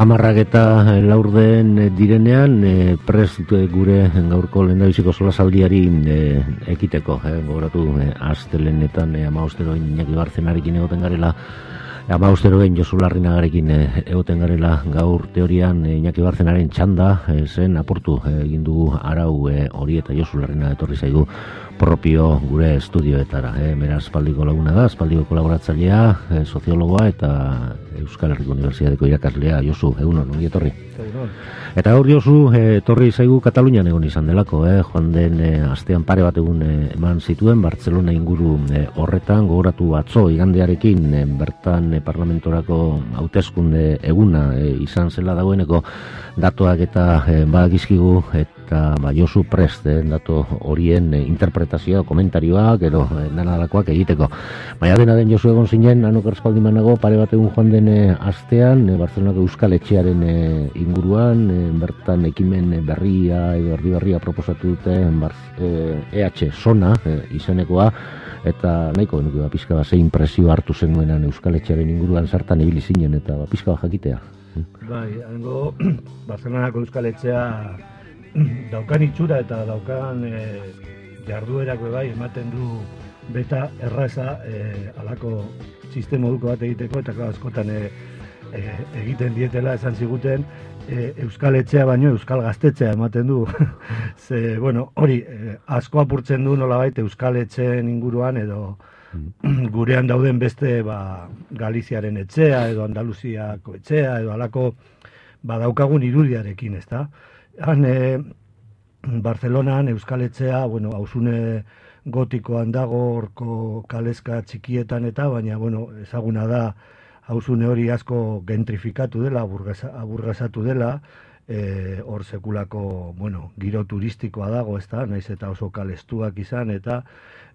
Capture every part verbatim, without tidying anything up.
Amarrak eta laurden direnean e, prest gure gaurko lehendabiziko solasaldiari e, ekiteko. E, gogoratu e, astelenetan e, amaosteroin Iñaki Barzenarekin egoten garela, amaosteroin Josu Larrinagarekin e, egoten garela gaur teorian e, Iñaki Barzenaren txanda e, zen apurtu e, egin dugu arau e, hori eta Josu Larrina etorri zaigu propio gure estudioetara. E, Mera aspaldiko laguna da, aspaldiko kolaboratzailea, e, soziologoa eta Euskal Herriko Unibertsitateko irakaslea. Josu, egunon, ongi etorri. Eta gaur Josu, e, etorri zaigu Katalunian egon izan delako, eh? joan den e, astean pare bat egun e, eman zituen, Bartzelona inguru e, horretan, gogoratu atzo igandearekin, e, bertan e, parlamentorako hauteskunde eguna e, izan zela dagoeneko datuak eta e, badakizkigu, eta ba, Josu prest, eh, datu horien e, interpretazioa, komentarioak, ero e, danalakoak egiteko. Baina dena den Josu egon zinen, anok erspaldimanago, pare bat egun joan den e, astean, e, Bartzelonako Euskal Etxearen e, inguruan, e, bertan ekimen berria edo erdi berria proposatu dute E H Zona e, izenekoa, eta nahiko genuke ba, pixka bat ze impresio hartu zenuenan Euskal Etxearen inguruan zertan ibili zinen, eta ba, pixka bat jakitea. Bai, hango Barcelonako Euskal Etxea daukan itxura eta daukan e, jarduerako bai ematen du beta erraza e, alako sistema moduko bat egiteko, eta klar, askotan e, e, egiten dietela esan ziguten e, Euskal Etxea baino Euskal Gaztetxea ematen du. Ze, bueno, hori e, asko apurtzen du nolabait Euskal Etxeen inguruan edo gurean dauden beste ba, Galiziaren etxea edo Andaluziako etxea edo alako badaukagun irudiarekin, ezta? Han e, Barcelonan Euskal Etxea, bueno, hausune gotikoan dago, horko kaleska txikietan eta, baina, bueno, ezaguna da hausune hori asko gentrifikatu dela, aburgasatu dela, e, hor sekulako, bueno, giro turistikoa dago, ezta, naiz eta oso kalestuak izan, eta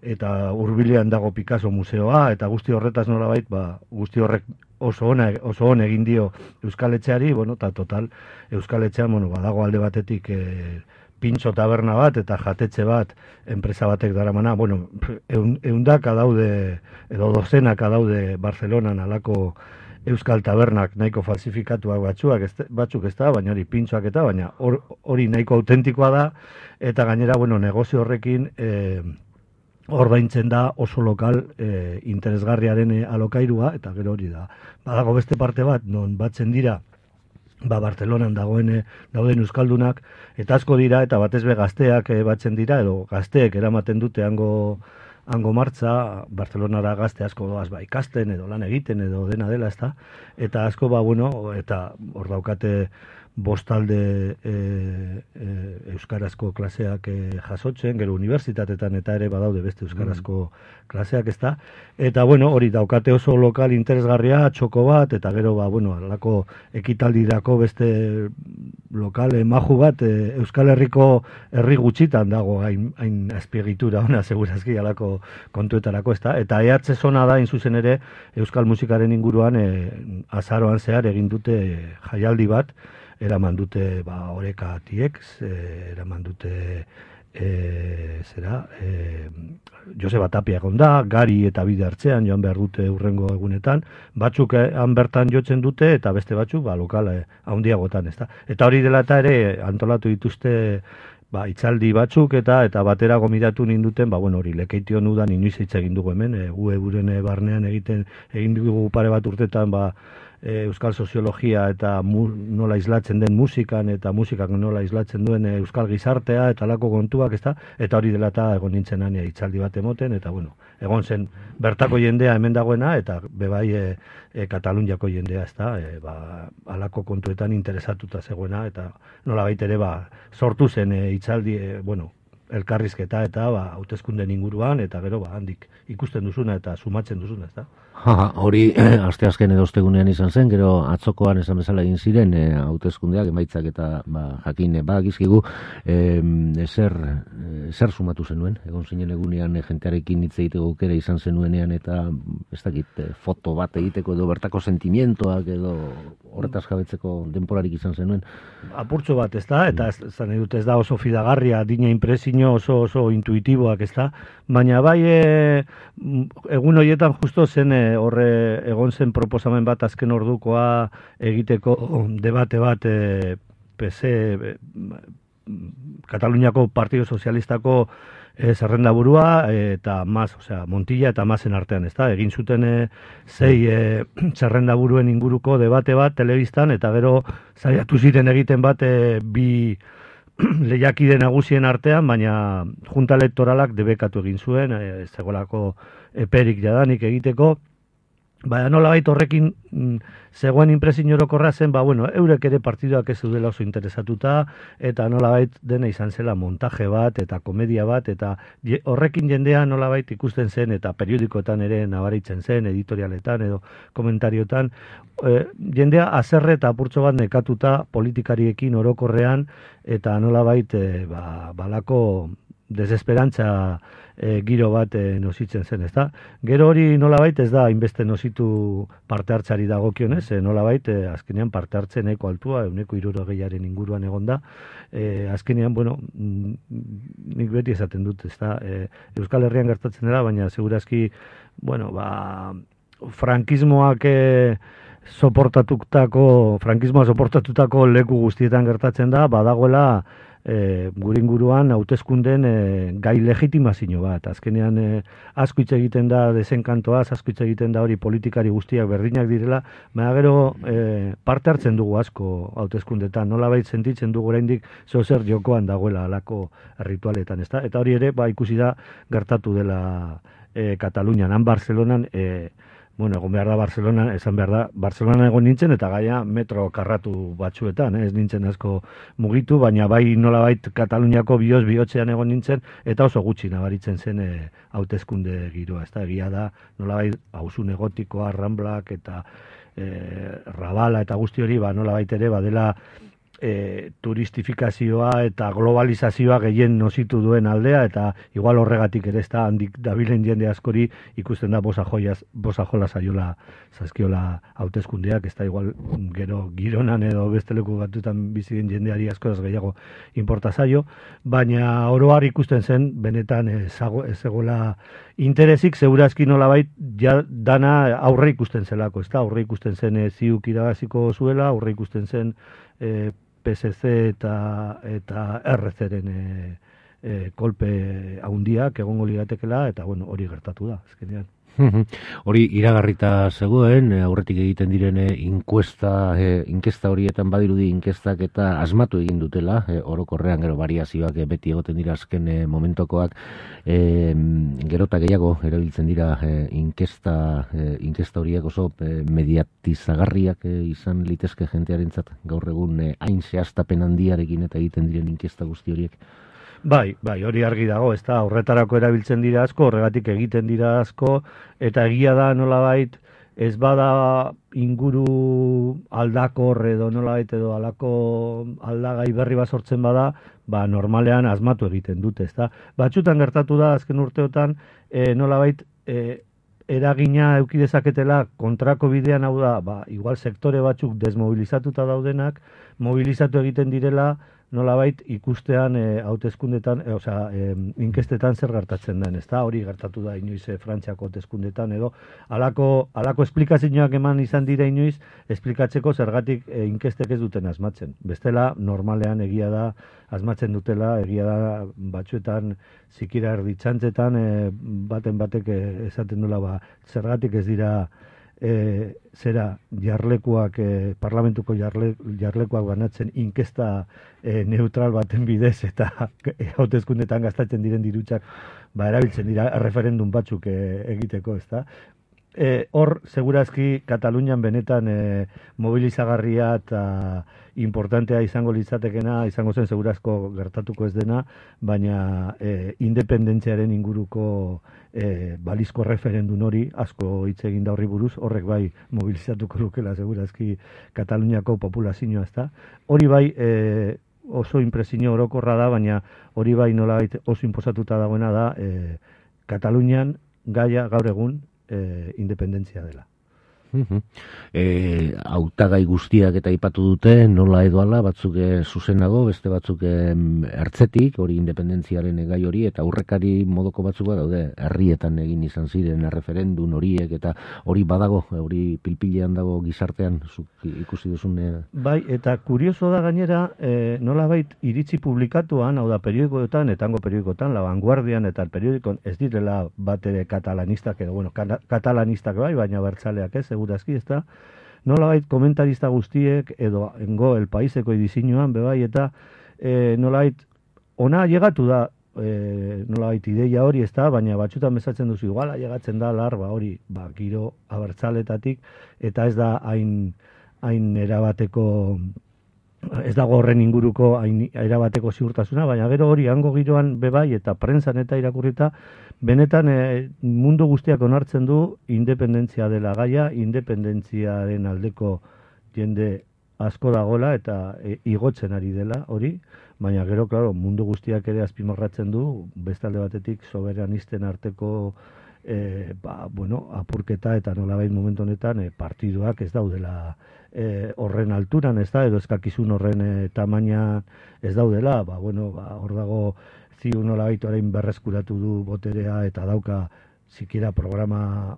eta hurbilean dago Picasso museoa, eta guzti horretaz nolabait, ba, guzti horrek oso ona, oso on egin dio Euskal Etxeari, bueno, eta total, Euskal Etxean, bueno, badago alde batetik e, pintxo taberna bat eta jatetxe bat enpresa batek daramana, bueno, eun, eundaka daude, edo dozenaka daude Barcelonan alako Euskal tabernak nahiko falsifikatuak batzuak, ez, batzuk ez da, baina hori pintxoak eta, baina hori or, nahiko autentikoa da, eta gainera, bueno, negozio horrekin e, ordaintzen da oso lokal e, interesgarriaren e, alokairua, eta gero hori da. Badago beste parte bat, non batzen dira, ba Barcelonan dagoen dauden euskaldunak, eta asko dira, eta batez be gazteak e, batzen dira, edo gazteek eramaten dute hango hango martza, Barcelonara gazte asko doaz ba ikasten, edo lan egiten, edo dena dela, ezta? Eta asko, ba, bueno, eta hor daukate bostalde e, e, euskarazko klaseak e, jasotzen, gero unibertsitatetan eta ere badaude beste euskarazko klaseak, ezta? Eta, bueno, hori daukate oso lokal interesgarria, txoko bat, eta gero, ba, bueno, alako ekitaldirako beste lokal maju bat, e, Euskal Herriko herri gutxitan dago hain, hain azpiegitura ona, segurazki alako kontuetarako, ezta? Eta E H Zona da, zuzen ere, Euskal musikaren inguruan e, azaroan zehar egin dute jaialdi bat, eraman dute ba, oreka tiek, e, eraman dute e, zera, e, Joseba Tapia egon da, Gari eta Bide Hartzean joan behar dute urrengo egunetan, batzuk han bertan jotzen dute, eta beste batzuk ba, lokal e, handiagotan, ezta. Eta hori dela eta ere antolatu dituzte ba, itzaldi batzuk eta eta batera gomidatu ninduten, ba, bueno, hori lekeition udan inoiz hitz egin dugu hemen, e, gu euren barnean egiten egin dugu pare bat urtetan, ba, E, euskal soziologia eta mu, nola islatzen den musikan eta musikak nola islatzen duen e, euskal gizartea eta alako kontuak, ezta? Eta hori dela eta egon nintzen ania itzaldi bat emoten, eta bueno, egon zen bertako jendea hemen dagoena, eta bebai e, e, Kataluniako jendea, ezta? E, ba, alako kontuetan interesatuta zegoena, eta nola baitere ba, sortu zen e, itzaldi, e, bueno, elkarrizketa eta ba, hauteskunden inguruan, eta gero ba, handik ikusten duzuna eta sumatzen duzuna, ezta? Ha, hori asteazken edo ostegunean izan zen, gero atzokoan esan bezala egin ziren e, hauteskundeak, emaitzak eta ba, jakin e, badakizkigu e, ezer, ezer sumatu zenuen, egon zinen egunean e, jentearekin hitz egiteko aukera izan zenuenean, eta ez dakit, e, foto bat egiteko edo bertako sentimientoak edo horretaz jabetzeko denporarik izan zenuen. Apurtxo bat, ez da, eta ez, ez, ez da oso fidagarria, dina impresio inpresio oso oso intuitiboak, ez da? Baina bai e, egun horietan justo zen e, horre egon zen proposamen bat azken ordukoa egiteko debate bat e, P S E, Kataluniako Partido Sozialistako e, zerrendaburua e, eta Mas, osea, Montilla eta Masen artean, ez da? Egin zuten e, zei e, zerrendaburuen inguruko debate bat telebistan, eta gero saiatu ziren egiten bat e, bi lehiakide nagusien artean, baina junta elektoralak debekatu egin zuen, e, zegoelako eperik jadanik egiteko. Baina nolabait horrekin mm, zegoen inpresio orokorra zen, ba, bueno, eurek ere partiduak ez zeudela oso interesatuta, eta nolabait dena izan zela montaje bat, eta komedia bat, eta je, horrekin jendea nolabait ikusten zen, eta periodikoetan ere nabaritzen zen, editorialetan edo komentariotan, e, jendea azerre eta apurtxo bat nekatuta politikariekin orokorrean, eta nolabait e, ba, balako desesperantza e, giro bat e, nositzen zen, ezta? Gero hori nolabait ez da hainbeste nositu parte hartzari dagokionez, e, nolabait e, azkenean parte hartzen nahiko altua, ehuneko hirurogeiaren inguruan egonda. E, azkenean, bueno, nik beti esaten dut, ezta? E, Euskal Herrian gertatzen dela, baina segurazki, bueno, ba, frankismoak e, soportatutako, frankismoa soportatutako leku guztietan gertatzen da, badagoela E, gure inguruan hauteskunden e, gai legitimazio bat. Azkenean e, asko hitz egiten da desenkantoaz, asko hitz egiten da hori politikari guztiak berdinak direla, baina gero e, parte hartzen dugu asko hauteskundetan, nolabait sentitzen dugu oraindik zozer jokoan dagoela alako ritualetan, ezta? Eta hori ere ba ikusi da gertatu dela e, Katalunian, han Barcelonan e, bueno, egon behar da Barcelona, esan behar da, Barcelona egon nintzen, eta gaia metro karratu batzuetan, eh? Ez nintzen asko mugitu, baina bai nolabait Kataluniako bihotz bihotzean egon nintzen, eta oso gutxi nabaritzen zen eh, hauteskunde giroa, ez da, egia da, nolabait hauzun egotikoa, Ramblak, eta eh, Rabala, eta guzti hori, ba, nolabait ere, badela, E, turistifikazioa eta globalizazioa gehien nositu duen aldea, eta igual horregatik ere ez da handik dabilen jende askori ikusten da bosa jola zaiola zazkiola hauteskundeak, ez da igual gero Gironan edo beste leku batutan bizi den jendeari askoraz gehiago inporta zaio, baina oroar ikusten zen benetan ez egola interesik, segurazki nolabait ja dana aurre ikusten zelako, ez da, aurre ikusten zen e, ziuk irabaziko zuela, aurre ikusten zen e, P S C eta eta R C-ren e, e, kolpe haundiak egongo ligatekela, eta bueno, hori gertatu da, azkenean. Hori iragarrita zegoen, aurretik egiten diren inkuesta, e, inkesta horietan badirudi inkestak eta asmatu egin dutela, e, orokorrean gero variazioak e, beti egoten dira azken e, momentokoak, e, gerota gehiago erabiltzen dira e, inkesta, e, inkesta horiek oso e, mediatizagarriak e, izan litezke jentearentzat gaur egun e, hain zehaztapen handiarekin eta egiten diren inkesta guzti horiek. Bai, bai, hori argi dago, ez da, horretarako erabiltzen dira asko, horregatik egiten dira asko, eta egia da nolabait, ez bada inguru aldakor edo nolabait edo alako aldagai berri bat sortzen bada, ba normalean asmatu egiten dute, ez da. Batzutan gertatu da, azken urteotan, e, nolabait, e, eragina eduki dezaketela kontrako bidean, hau da, ba, igual sektore batzuk desmobilizatuta daudenak, mobilizatu egiten direla, nolabait ikustean e, hauteskundetan, e, osea, e, inkestetan zer gertatzen den, ezta? Hori gertatu da inoiz e, Frantziako hauteskundetan edo halako halako esplikazioak eman izan dira inoiz esplikatzeko zergatik e, inkestek ez duten asmatzen. Bestela normalean egia da asmatzen dutela, egia da batzuetan zikira erditzantzetan e, baten batek e, esaten dula ba zergatik ez dira E, zera jarlekuak, e, parlamentuko jarle, jarlekuak banatzen inkesta e, neutral baten bidez eta e, hauteskundetan gastatzen diren dirutsak ba, erabiltzen dira referendum batzuk e, egiteko, ezta? E, hor, segurazki, Katalunian benetan e, mobilizagarria eta importantea izango litzatekena, izango zen segurazko gertatuko ez dena, baina e, independentziaren inguruko e, balizko referendum hori, asko hitz egin da horri buruz, horrek bai mobilizatuko lukela segurazki Kataluniako populazioa, ezta? Hori bai e, oso impresio orokorra da, baina hori bai nolabait oso inposatuta dagoena da e, Katalunian gaia gaur egun e, independentzia dela. E, hautagai guztiak eta aipatu dute, nola edo ala, batzuk zuzenago, beste batzuk ertzetik, hori independentziaren gai hori, eta aurrekari modoko batzuk daude, herrietan egin izan ziren erreferendun horiek, eta hori badago, hori pilpilean dago gizartean, zuk ikusi duzun. Bai, eta kurioso da gainera, e, nola bait iritzi publikatuan, hau da periodikoetan, etango periodikoetan, La Vanguardian eta el periodikon ez direla bat ere katalanistak, edo, bueno, katalanistak bai, baina bertzaleak ez, segurazki, ez da, nolabait komentarista guztiek, edo engo el paiseko edizioan, bebai, eta e, nolabait, ona llegatu da, e, nolabait ideia hori, ez da, baina batxutan bezatzen duzu, iguala llegatzen da larba hori, ba, giro abertzaletatik, eta ez da hain, hain erabateko, ez dago horren inguruko hain erabateko ziurtasuna, baina gero hori hango giroan bebai eta prentsan eta irakurrita, benetan e, mundu guztiak onartzen du independentzia dela gaia, independentziaren aldeko jende asko dagoela eta e, igotzen ari dela hori, baina gero, claro, mundu guztiak ere azpimarratzen du, bestalde batetik soberanisten arteko e, ba, bueno, apurketa eta nolabait momentu honetan e, partiduak ez daudela E, horren alturan, ez da, edo eskakizun horren e, tamaina ez daudela, ba, bueno, ba, hor dago ziu nolabait orain berreskuratu du boterea eta dauka sikiera programa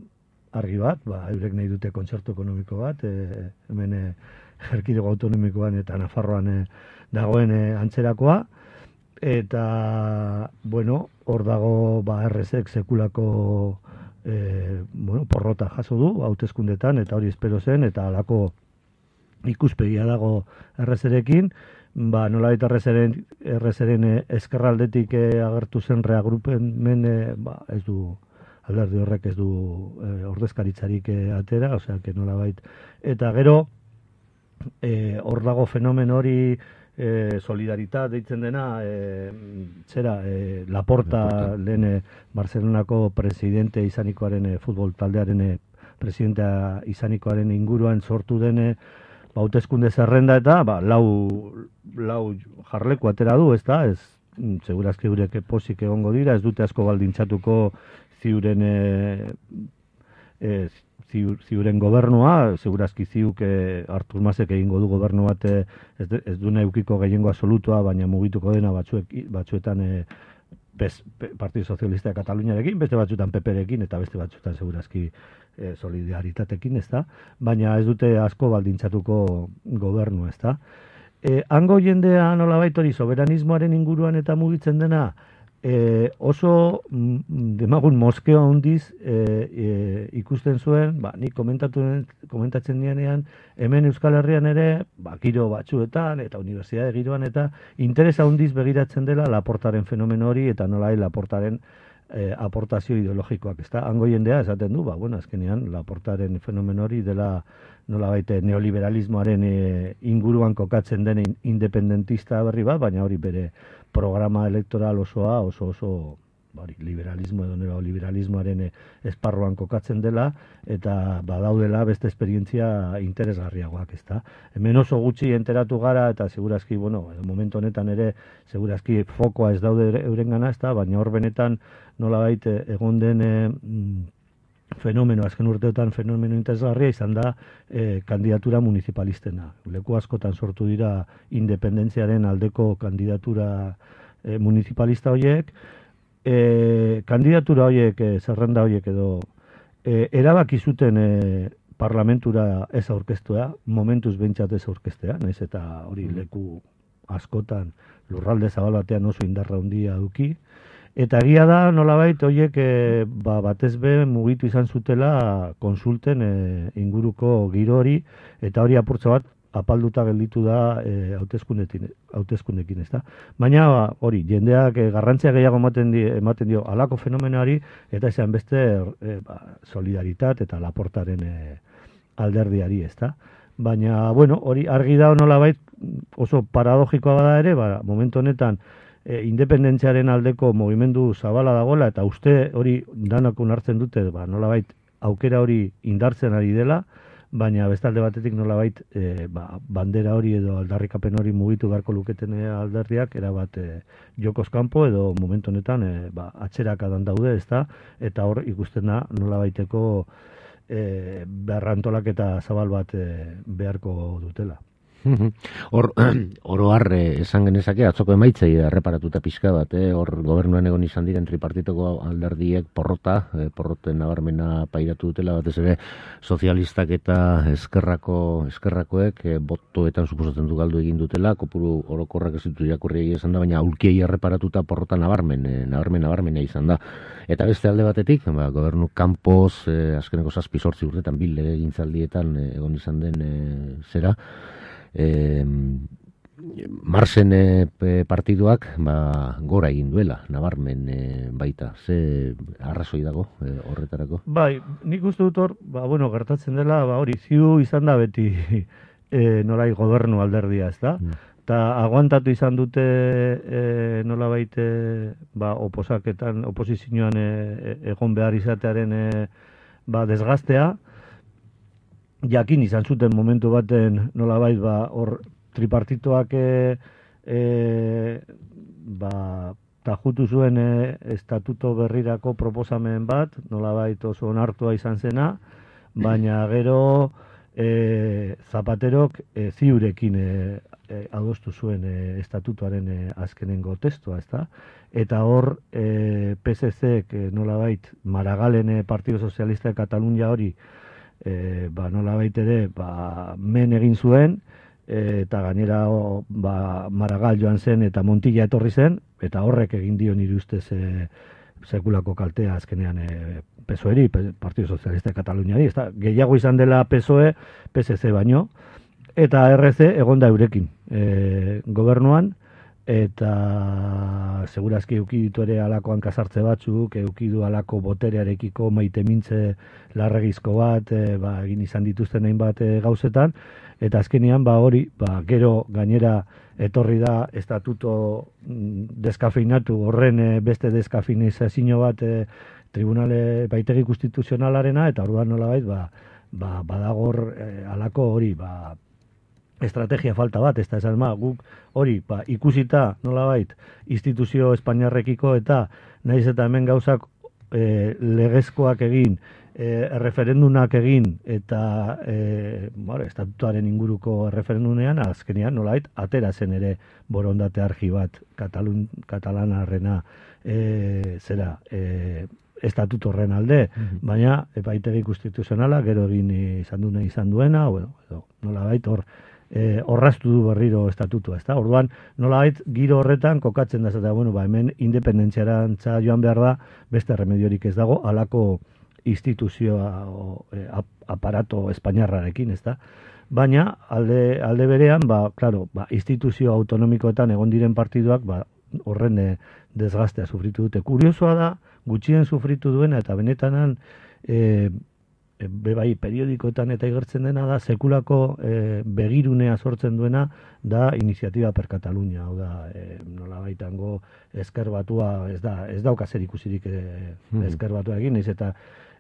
argi bat, ba, eurek nahi dute kontzertu ekonomiko bat, e, hemen e, erkidego autonomikoan eta Nafarroan e, dagoen e, antzerakoa, eta, bueno, hor dago ba, R S ek sekulako e, bueno, porrota jaso du, hauteskundetan, eta hori espero zen, eta halako ikuspegia dago errezerekin, ba, nolabait errezeren, errezeren eskerraldetik e, agertu zen reagrupen men, e, ba, ez du, alderdi horrek ez du e, ordezkaritzarik e, atera, osea, que nolabait, eta gero, e, hor dago fenomen hori, e, solidaritat deitzen dena, e, zera, e, Laporta, Laporta. lehen e, Barcelonako presidente izanikoaren, e, futbol taldearen e, presidentea izanikoaren inguruan sortu dene, hauteskunde zerrenda eta ba, lau, lau jarleku atera du, ez da, ez, segurazki eurek posik egongo dira, ez dute asko baldintzatuko ziuren e, e, ziur, ziuren gobernua, segurazki ziuk e, Artur Masek egingo du gobernu bat e, ez, ez du neukiko gehiengo absolutua, baina mugituko dena batzuek, batzuetan e, Bez, Partido Socialista de Kataluniarekin, beste batzutan P P-rekin eta beste batzutan segurazki e, solidaritatekin, ez da? Baina ez dute asko baldintzatuko gobernu, ez da? E, hango jendea nolabait hori soberanismoaren inguruan eta mugitzen dena, e, oso mm, demagun moskeo handiz e, e, ikusten zuen, ba, nik komentatu, komentatzen dianean, hemen Euskal Herrian ere, ba, giro batzuetan eta unibertsitate giroan eta interesa handiz begiratzen dela Laportaren fenomeno hori eta nolai Laportaren e, aportazio ideologikoak, ezta? Hango jendea esaten du, ba, bueno, azkenean Laportaren fenomeno hori dela nolabait neoliberalismoaren e, inguruan kokatzen den independentista berri bat, baina hori bere programa elektoral osoa oso oso bari, liberalismo edo neoliberalismoaren esparruan kokatzen dela eta badaudela beste esperientzia interesgarriagoak, ezta. Hemen oso gutxi enteratu gara eta segurazki, bueno, momentu honetan ere segurazki fokoa ez daude eurengana, ezta, baina hor benetan nolabait egon den e, fenomeno, azken urteotan fenomeno interesgarria izan da e, kandidatura municipalistena. Leku askotan sortu dira independentziaren aldeko kandidatura e, municipalista horiek, e, kandidatura horiek, e, zerrenda horiek edo, e, erabaki zuten e, parlamentura ez aurkeztua, momentuz behintzat ez aurkeztea, naiz eta hori leku askotan lurralde zabal batean oso indarra handia duki, eta egia da, nolabait, horiek e, ba, batez be mugitu izan zutela konsulten e, inguruko giro hori, eta hori apurtza bat apalduta gelditu da e, hauteskundekin, ez da. Baina ba, hori, jendeak e, garrantzia gehiago ematen, di, ematen dio alako fenomenari, eta esan beste e, ba, solidaritat eta Laportaren e, alderdiari, ez da. Baina, bueno, hori argi da nolabait oso paradogikoa bada ere, ba, momentu honetan, E, independentziaren aldeko mugimendu zabala dagoela eta uste hori danak onartzen dute, ba, nolabait aukera hori indartzen ari dela, baina bestalde batetik nolabait e, ba, bandera hori edo aldarrikapen hori mugitu beharko luketen alderdiak erabat e, jokoz kanpo edo momentu honetan e, ba, atxerakadan daude, ezta, eta hor ikusten da nolabaiteko e, berrantolaketa zabal bat e, beharko dutela. Hor, oro har, esan genezake, atzoko emaitzei erreparatuta pixka bat, eh? Hor gobernuan egon izan diren tripartitoko alderdiek porrota, eh, porroten nabarmena pairatu dutela, batez ere sozialistak eta eskerrako, eskerrakoek eh, botoetan suposatzen du galdu egin dutela, kopuru orokorrak ez ditu irakurri izan da, baina aulkiei erreparatuta porrota nabarmen, eh, nabarmen nabarmena izan da. Eta beste alde batetik, ba, gobernu kanpoz, eh, azkeneko zazpi sortzi urtetan, bil legegintzaldietan eh, egon izan den eh, zera, E, Marsen e, partiduak ba, gora egin duela, nabarmen e, baita. Ze arrazoi dago e, horretarako? Bai, nik uste dut hor, ba, bueno, gertatzen dela, ba, hori, ziu izan da beti e, nolai gobernu alderdia, ez da? Mm. Eta aguantatu izan dute e, nola baite ba, oposaketan, oposizioan e, egon behar izatearen e, ba, desgaztea, jakin izan zuten momentu baten nolabait ba hor tripartitoak e, e, ba tajutu zuen e, estatuto berrirako proposamen bat, nolabait oso onartua izan zena, baina gero e, Zapaterok e, ziurekin e, e, adostu zuen e, estatutuaren e, azkenengo testua, ezta? Eta hor e, P S C-ek e, nolabait Maragalen e, Partido Socialista de Catalunya hori E, ba, nola baitere, ba, men egin zuen, e, eta gainera o, ba, Maragall joan zen eta Montilla etorri zen, eta horrek egin dio nire ustez e, sekulako kaltea azkenean e, P S O E-ri, Partido Socialista de Cataluñari, ez da, gehiago izan dela P S O E, P S C baino, eta R C egonda eurekin e, gobernuan, eta segurazki euki ditu ere alako hankasartze batzuk, euki du alako boterearekiko maite mintze larregizko bat, e, ba, egin izan dituzten hainbat e, gauzetan, eta azkenean ba hori, ba, gero gainera etorri da estatuto mm, deskafeinatu horren e, beste deskafeinizazio bat e, tribunale baitegi konstituzionalarena, eta orduan nolabait ba, ba, badagor e, alako hori, ba, estrategia falta bat, ez da esan ma, guk hori, ba, ikusita, nolabait, instituzio espainiarrekiko eta nahiz eta hemen gauzak e, legezkoak egin, e, referendunak egin, eta e, bare, estatutuaren inguruko referendunean, azkenean, nolabait, atera zen ere borondate argi bat, Katalun, katalanarrena, e, zera, e, estatutu horren alde, mm-hmm. baina epaitegi konstituzionala, gero egin izan duena izan duena, bueno, nolabait, hor, E, horraztu du berriro estatutua, ezta? Orduan, nolabait giro horretan kokatzen da, eta bueno, ba, hemen independentziarantza joan behar da, beste remediorik ez dago, halako instituzioa o, e, ap, aparato espainiarrarekin, ezta? Baina, alde, alde berean, ba, claro, ba, instituzio autonomikoetan egon diren partiduak, ba, horren e, desgaztea sufritu dute. Kuriosoa da, gutxien sufritu duena, eta benetanan, e, be bai, periodikoetan eta igertzen dena da, sekulako e, begirunea sortzen duena da Iniziatiba per Catalunya, hau da, e, nola baitango esker batua, ez da, ez dauka zer ikusirik e, esker batua egin, ez eta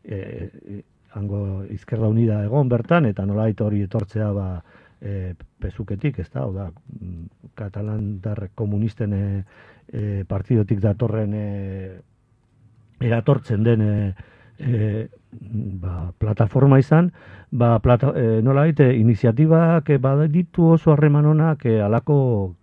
e, hango Izquierda Unida egon bertan, eta nola baita hori etortzea ba, e, pezuketik, ez da, hau da, katalandar komunisten e, e, partidotik datorren e, eratortzen den e, E, ba, plataforma izan, ba, plata, e, nola baite, iniziatibak e, baditu oso harreman honak e, alako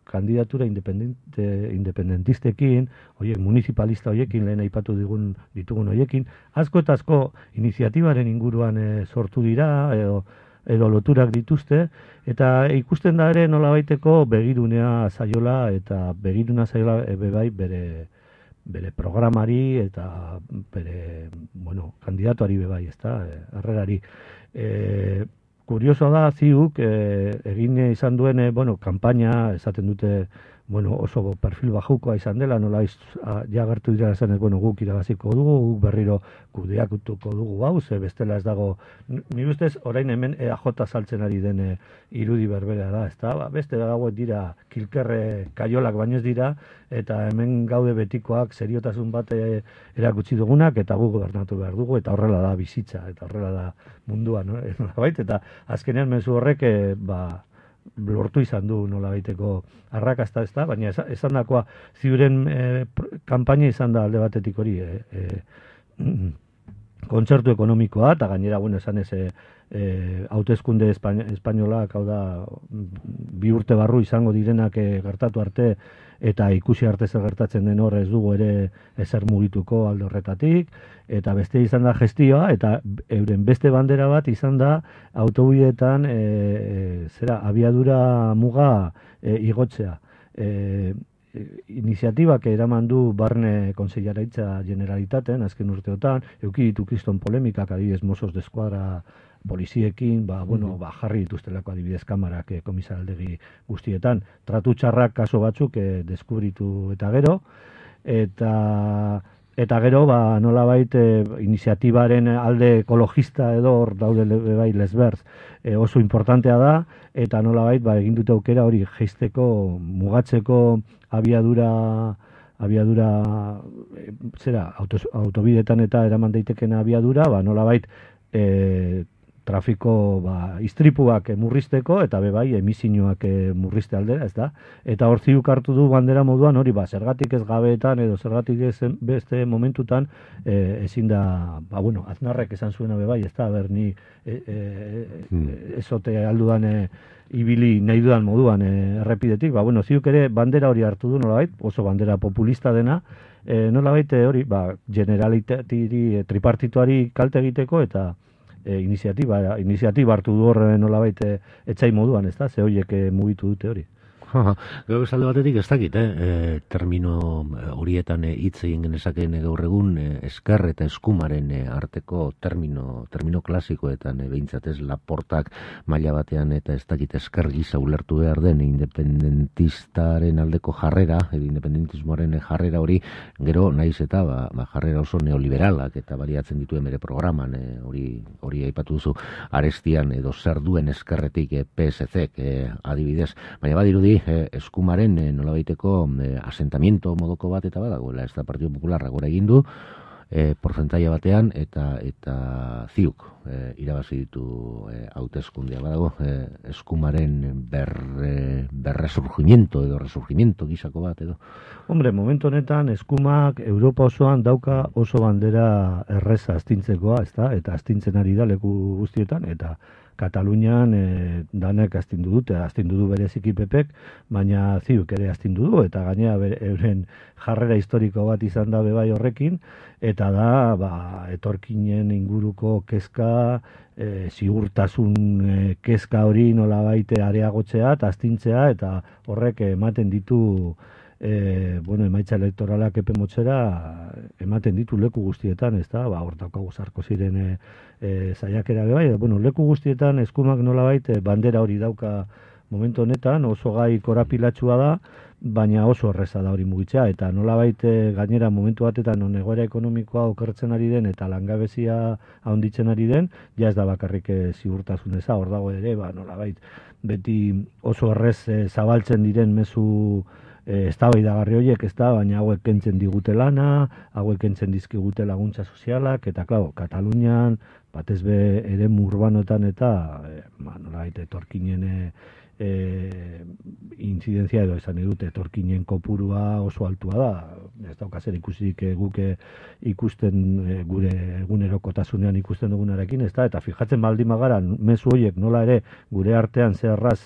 kandidatura independente, independentistekin, oiek, municipalista hoiekin, lehen aipatu digun, ditugun hoiekin, asko eta asko iniziatibaren inguruan e, sortu dira, edo, edo loturak dituzte, eta ikusten da ere nola baiteko begirunea zaiola, eta begiruna zaiola e, bebai bere bere programari eta bere, bueno, kandidatuari bebai, ezta, harrerari. E, kurioso da, ziuk, e, egin izan duen, e, bueno, kanpaina, esaten dute, bueno, oso perfil bajukoa izan dela, nola iz, a, ja gertu dira esan ez, bueno, guk irabaziko dugu, guk berriro kudeakutuko dugu hau, ze bestela ez dago, nire ustez, orain hemen E A J saltzen ari den e, irudi berbera da, ez da, ba, beste dago dira kilkerre kaiolak baino ez dira, eta hemen gaude betikoak seriotasun bat e, erakutsi dugunak, eta gu gobernatu behar dugu, eta horrela da bizitza, eta horrela da mundua, no? Eta azkenean mezu horrek, e, ba, lortu izan du nola baiteko arrakasta, ez da, baina esan dakoa ziuren e, kanpaina izan da alde batetik hori, e, e, kontzertu ekonomikoa, eta gainera, bueno, esan ez, e, e, hauteskunde espainolak, hau da, bi urte barru izango direnak e, gertatu arte, eta ikusi arte zer gertatzen den hor ez dugu ere ezer mugituko alde horretatik, eta beste izan da gestioa, eta euren beste bandera bat izan da autobideetan e, e, zera, abiadura muga e, igotzea. E, iniziatibak eraman du barne konseilaraitza generalitaten, azken urteotan, euki ditu kriston polemikak, adibidez Mossos d'Esquadra poliziekin, ba, bueno, ba, jarri dituztelako adibidez kamarak e, komisaraldegi guztietan, tratu txarrak kaso batzuk e, deskubritu eta gero, eta eta gero, ba, nolabait e, iniziatibaren alde ekologista edo hor daude bai lesberz, e, oso importantea da, eta nolabait ba, egin dute aukera hori jeisteko, mugatzeko abiadura abiadura e, zera, autos, autobidetan eta eraman daiteken abiadura, ba, nolabait e, trafiko ba, istripuak murrizteko eta bebai emisiñoak murrizte aldera, ez da? Eta hor ziuk hartu du bandera moduan hori, ba, zergatik ez gabeetan edo zergatik ez beste momentutan e, ezin da, ba, bueno, Aznarrek esan zuena bebai, ez da, ber ni e, e, hmm. ezote aldudan e, ibili nahi dudan moduan e, errepidetik, ba, bueno, ziuk ere bandera hori hartu du nolabait, oso bandera populista dena, e, nolabait hori, ba, generalitatiri, tripartituari kalte egiteko eta E, iniziatiba, iniziatiba hartu du hor nolabait e, etxai moduan, ez da, ze horiek e, mugitu dute hori. Gero esalde batetik ez dakit, eh? E, termino horietan hitz egin genezakeen gaur egun e, esker eta eskumaren e, arteko termino, termino klasikoetan e, behintzat ez Laportak maila batean eta ez dakit esker gisa ulertu behar den independentistaren aldeko jarrera, edo independentismoaren jarrera hori, gero naiz eta ba, ba, jarrera oso neoliberalak eta baliatzen dituen bere programan, e, hori hori aipatu duzu arestian edo zer duen eskerretik e, P S C e, adibidez, baina badirudi Eh, eskumaren eh, nolabaiteko eh, asentamiento modoko bat eta badagoela, ez da Partido Popularra gora egin du eh, porcentaia batean eta eta ziuk eh, irabazi ditu eh, hauteskundea badago eh, eskumaren ber, eh, berresurgimiento edo resurgimiento gisako bat edo. Hombre, momentu honetan eskumak Europa osoan dauka oso bandera erreza astintzekoa, ez da, eta astintzen ari da leku guztietan, eta Katalunian e, danek astindu dute, astindu du bereziki Pepek, baina ziuk ere astindu du, eta gainea euren jarrera historiko bat izan da bebai horrekin, eta da, ba, etorkinen inguruko kezka, e, sigurtasun e, kezka hori nolabait areagotzea, eta astintzea, eta horrek ematen ditu E, bueno, emaitza elektoralak epe motzera ematen ditu leku guztietan, ez da, ba, hor daukagu Sarkoziren e, e, saiakera bai, bueno, leku guztietan eskumak nolabait e, bandera hori dauka momentu honetan, oso gai korapilatsua da, baina oso erreza da hori mugitzea, eta nolabait e, gainera momentu batetan non egoera ekonomikoa okertzen ari den eta langabezia handitzen ari den, ja ez da bakarrik e, ziurtasun eza, hor dago ere, ba, nolabait beti oso errez e, zabaltzen diren mezu eztabaidagarri horiek, ez da, baina hauek kentzen digute lana, hauek kentzen dizkigute laguntza sozialak, eta, klaro, Katalunian, batez be eremu urbanoetan eta, e, ba, nolabait, etorkinen e, e, inzidentzia edo esan edute, etorkinen kopurua oso altua da, ez daukazer ikusik e, guk ikusten e, gure egunerokotasunean ikusten dugunarekin, ez da, eta fijatzen baldin magara, mezu horiek nola ere gure artean zerraz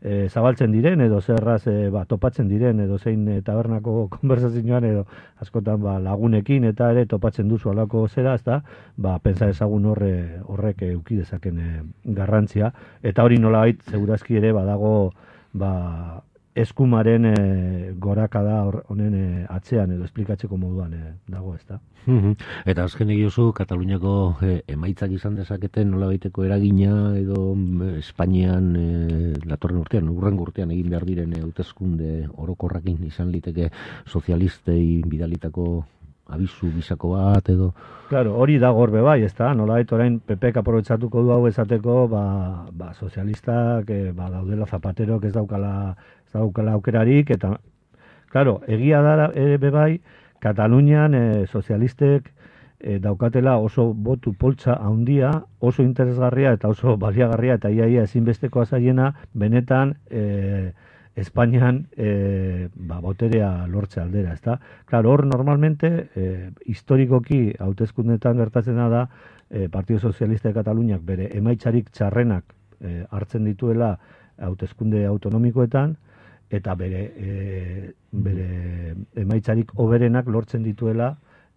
E, zabaltzen diren edo zerraz e, ba, topatzen diren edo zein e, tabernako konversazioan edo askotan ba, lagunekin eta ere topatzen duzu alako zera, ezta, ba, pentsa ezagun horre, horrek euki dezaken e, garrantzia, eta hori nolabait segurazki ere badago ba, eskumaren e, gorakada honen e, atzean edo esplikatzeko moduan e, dago, ezta. Eta azken egiozu, Kataluniako e, emaitzak izan dezaketen nolabaiteko eragina edo Espainian e, datorren urtean, urrengo urtean egin behar diren hauteskunde orokorrakin izan liteke sozialistei bidalitako abizu bizako bat edo... Claro, hori da gorbe bai, ez da, nolabait orain P Pek aprobetsatuko du hau esateko, ba, ba sozialistak, e, ba, daudela Zapaterok ez daukala, ez daukala aukerarik, eta, claro, egia da ere bebai, Katalunian e, sozialistek e, daukatela oso botu poltsa handia, oso interesgarria eta oso baliagarria eta iaia ezinbestekoa zaiena benetan e, Espainian e, ba, boterea lortze aldera, ezta? Claro, hor normalmente e, historikoki hauteskundetan gertatzen da e, Partido Socialista de Kataluniak bere emaitzarik txarrenak e, hartzen dituela hauteskunde autonomikoetan eta bere e, bere emaitzarik hoberenak lortzen dituela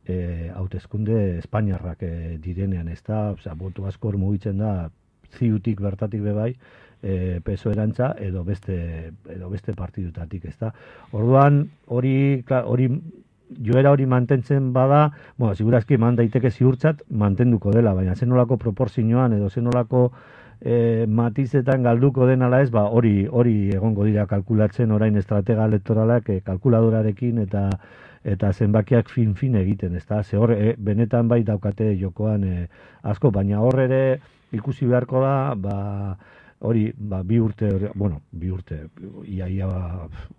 e, hauteskunde espainiarrak e, direnean, ezta? Osea, boto askor mugitzen da ziutik bertatik bebai, E, P S O erantza edo beste edo beste partidutatik, ezta. Orduan hori hori joera hori mantentzen bada, bueno, segurazki eman daiteke ziurtzat mantenduko dela, baina zenolako proporzioan edo zenolako e, matizetan galduko den ala ez, ba hori hori egongo dira kalkulatzen orain estratega elektoralak e, kalkuladorarekin eta eta zenbakiak fin fin egiten, ezta. Ze hor e, benetan bai daukate jokoan e, asko, baina hor ere ikusi beharko da, ba hori, ba, bi urte, bueno, bi urte, ia, ia,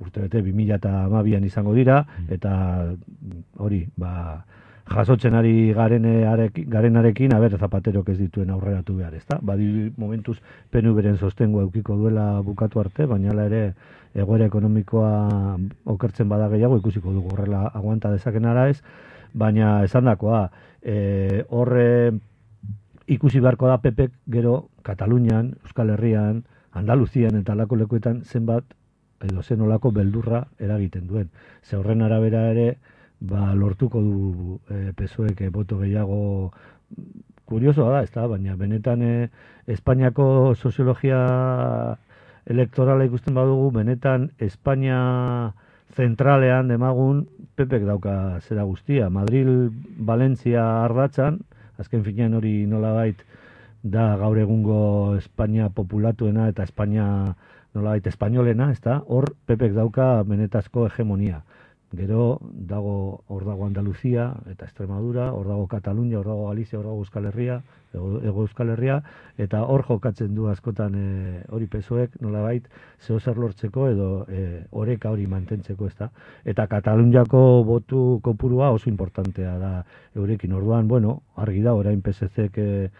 urte bete, bi mila eta hamabian izango dira, eta hori, ba, jasotzen ari garenarekin, aber, Zapaterok ez dituen aurreratu behar, ezta? Badi momentuz P N V-ren sostengoa eukiko duela bukatu arte, baina ere egoera ekonomikoa okertzen bada gehiago, ikusiko dugu horrela aguanta dezaken ara ez, baina esandakoa, e, horre ikusi beharko da P Pek gero Katalunian, Euskal Herrian, Andaluzian eta alako lekuetan zenbat edo zenolako beldurra eragiten duen. Ze horren arabera ere ba, lortuko du e, P S O ek boto gehiago. Kuriosoa da, ez da, baina benetan e, Espainiako soziologia elektorala ikusten badugu, benetan Espainia zentralean demagun P Pek dauka zera guztia. Madril, Valentzia ardatzan, azken finean hori nolabait da gaur egungo Espainia populatuena eta Espainia nolabait espainolena, ezta? Hor P Pek dauka benetazko hegemonia. Gero dago hor dago Andaluzia eta Extremadura, hor dago Katalunia, hor dago Galizia, hor dago Euskal Herria, Ego Euskal Herria, eta hor jokatzen du askotan e, hori P S O ek nolabait zeo zer lortzeko edo e, oreka hori mantentzeko, ezta? Eta Kataluniako botu kopurua oso importantea da eurekin. Orduan, bueno, argi da orain P S C-ek e,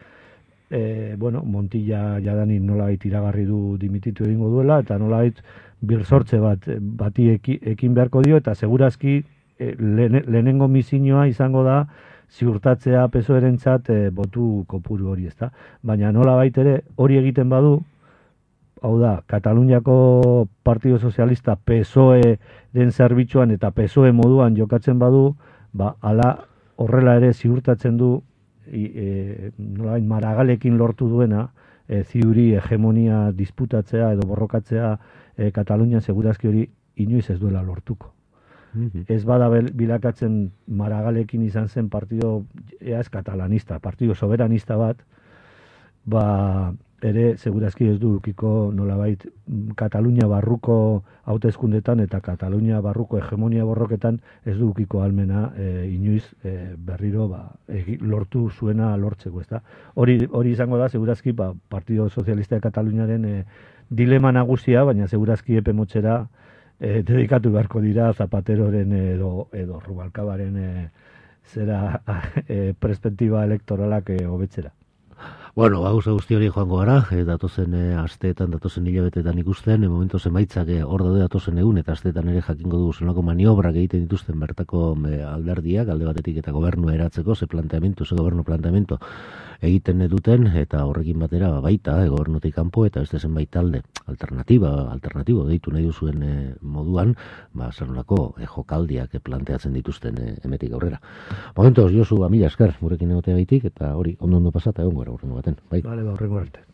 e, bueno, Montilla jadanik nolabait iragarri du dimititu egingo duela, eta nolabait birsortze bat bati eki, ekin beharko dio, eta segurazki e, lehen, lehenengo misioa izango da ziurtatzea P S O erentzat e, botu kopuru hori, ezta? Baina nolabait ere hori egiten badu, hau da, Kataluniako Partido Sozialista P S O E-den zerbitzuan eta P S O E moduan jokatzen badu, ba, ala horrela ere ziurtatzen du e, nolabait Maragalekin lortu duena e, ziuri hegemonia disputatzea edo borrokatzea e, Katalunian segurazki hori inoiz ez duela lortuko. Mm-hmm. Ez bada bilakatzen Maragalekin izan zen partido ez katalanista, partido soberanista bat, ba ere segurazki ez du ukiko nolabait Katalunia barruko hauteskundetan eta Katalunia barruko hegemonia borroketan ez du ukiko almena e, inoiz e, berriro ba, e, lortu zuena lortzeko, ezta? Hori hori izango da segurazki ba, Partido Socialista de Kataluniaren e, dilema nagusia, baina segurazki epe motzera e, dedikatu beharko dira Zapateroren edo, edo Rubalcabaren e, zera e, perspektiba elektoralak e, hobetzera. Bueno, gauza guzti hori joango gara, e, datozen e, asteetan, datozen hilabetetan ikusten, e, momentu zenbaitzak e, hor daude datozen egun, eta asteetan ere jakingo dugu zenolako maniobrak egiten dituzten bertako e, alderdiak, alde batetik eta gobernu eratzeko, ze planteamentu, ze gobernu planteamentu egiten duten, eta horrekin batera baita, e, gobernutik kanpo, eta beste zenbait talde, alternatiba, alternatibo, deitu nahi duzuen e, moduan, ba, zenolako e, jokaldiak e, planteatzen dituzten e, emetik aurrera. Momentoz, Josu, mila esker, gurekin egotea gaitik, eta hori, ondo ondo pasata egon gara, urrengo baten. Bai. Vale, ba, horrengo arte.